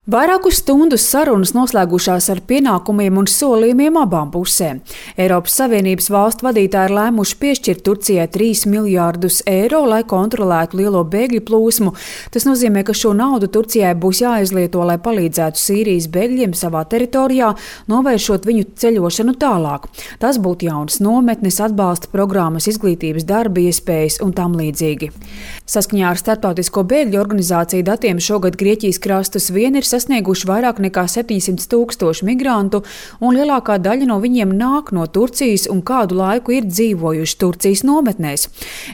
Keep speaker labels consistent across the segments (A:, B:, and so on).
A: Vairāku stundu sarunas noslēgušās ar pienākumiem un solījumiem abām pusēm. Eiropas Savienības valstu vadītāji ir lēmuši piešķirt Turcijai 3 miljārdus eiro, lai kontrolētu lielo bēgļu plūsmu. Tas nozīmē, ka šo naudu Turcijai būs jāizlieto, lai palīdzētu Sīrijas bēgļiem savā teritorijā, novēršot viņu ceļošanu tālāk. Tas būtu jaunas nometnes, atbalsta programmas, izglītības darba iespējas un tam līdzīgi. Saskaņā ar Starptautisko bēgļu organizāciju datiem šogad Grieķijas krastus vien ir sasnieguši vairāk nekā 700 000 migrantu, un lielākā daļa no viņiem nāk no Turcijas un kādu laiku ir dzīvojuši Turcijas nometnēs,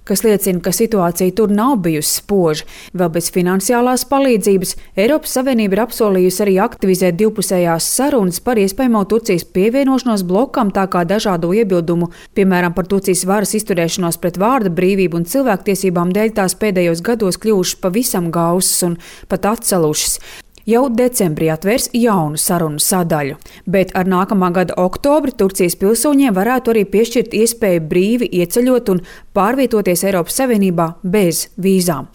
A: kas liecina, ka situācija tur nav bijusi spoža. Vēl bez finansiālās palīdzības Eiropas Savienība ir apsolījusi arī aktivizēt divpusējās sarunas par iespējamo Turcijas pievienošanos blokam, tā kā dažādu iebildumu, piemēram, par Turcijas varas izturēšanos pret vārda brīvību un cilvēktiesībām dēļ tās pēdējos gados kļuvušas pavisam gausas un pat atsalušas. Jau decembrī atvērs jaunu sarunu sadaļu, bet ar nākamā gada oktobri Turcijas pilsoņiem varētu arī piešķirt iespēju brīvi ieceļot un pārvietoties Eiropas Savienībā bez vīzām.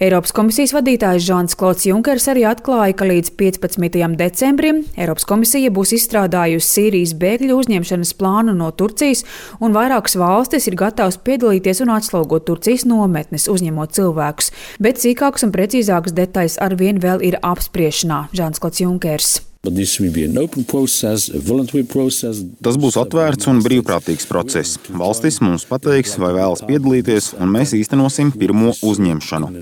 A: Eiropas komisijas vadītājs Žans-Klods Junkers arī atklāja, ka līdz 15. decembrim Eiropas komisija būs izstrādājusi Sīrijas bēgļu uzņemšanas plānu no Turcijas, un vairākas valstis ir gatavas piedalīties un atslogot Turcijas nometnes, uzņemot cilvēkus. Bet sīkākas un precīzākas detaļas arvien vēl ir apspriešanā, Žans-Klods Junkers.
B: Tas būs atvērts un brīvprātīgs process. Valstis mums pateiks, vai vēlas piedalīties, un mēs īstenosim pirmo uzņemšanu.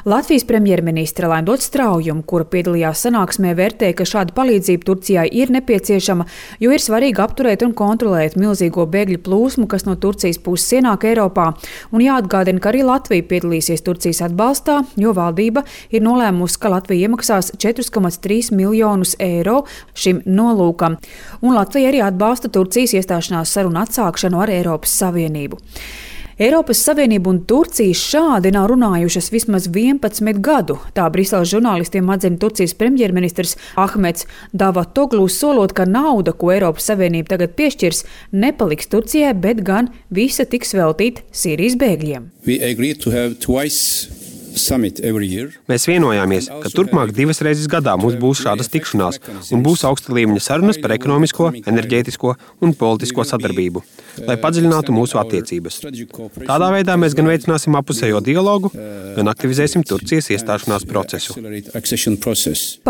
A: Latvijas premjerministre Laimdots Straujuma, kura piedalījās sanāksmē, vērtēja, ka šāda palīdzība Turcijai ir nepieciešama, jo ir svarīgi apturēt un kontrolēt milzīgo bēgļu plūsmu, kas no Turcijas puses ienāk Eiropā. Un jāatgādina, ka arī Latvija piedalīsies Turcijas atbalstā, jo valdība ir nolēmusi, ka Latvija iemaksās 4,3 miljonus eiro šim nolūkam. Un Latvija arī atbalsta Turcijas iestāšanās sarunu atsākšanu ar Eiropas Savienību. Eiropas Savienība un Turcija šādi nav runājušas vismaz 11 gadu. Tā Briseles žurnālistiem atzina Turcijas premjerministrs Ahmeds Davutoglu, solot, ka nauda, ko Eiropas Savienība tagad piešķirs, nepaliks Turcijai, bet gan visa tiks veltīta Sīrijas bēgļiem.
C: Mēs vienojāmies, ka turpmāk 2 reizes gadā mums būs šādas tikšanās un būs augsta līmeņa sarunas par ekonomisko, enerģētisko un politisko sadarbību, lai padziļinātu mūsu attiecības. Tādā veidā mēs gan veicināsim apusējo dialogu, gan aktivizēsim Turcijas iestāšanās procesu.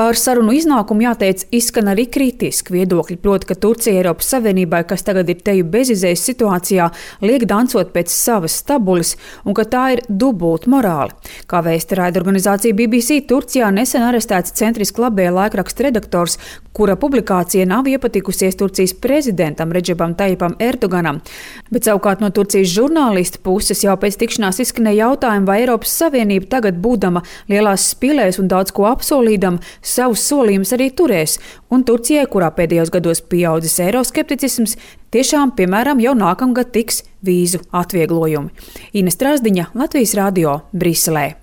A: Par sarunu iznākumu jāteic izskan arī kritiski viedokļi, proti, ka Turcija Eiropas Savienībai, kas tagad ir teju bezizējas situācijā, liek dancot pēc savas stabuļas un ka tā ir dubulta morāli. Kā vēsta raidorganizācija BBC, Turcijā nesen arestēts centriski labējā laikraksta redaktors, kura publikācija nav iepatikusies Turcijas prezidentam Redžepam Tajipam Erdoganam. Bet savukārt no Turcijas žurnālistu puses jau pēc tikšanās izskanēja jautājumi, vai Eiropas Savienība tagad būdama lielās spilēs un daudz ko apsolīdama, savus solījumus arī turēs. Un Turcijai, kurā pēdējos gados pieaudzis eiroskepticisms, tiešām, piemēram, jau nākamgad tiks vīzu atvieglojumi. Ines Trasdiņa, Latvijas radio, Briselē.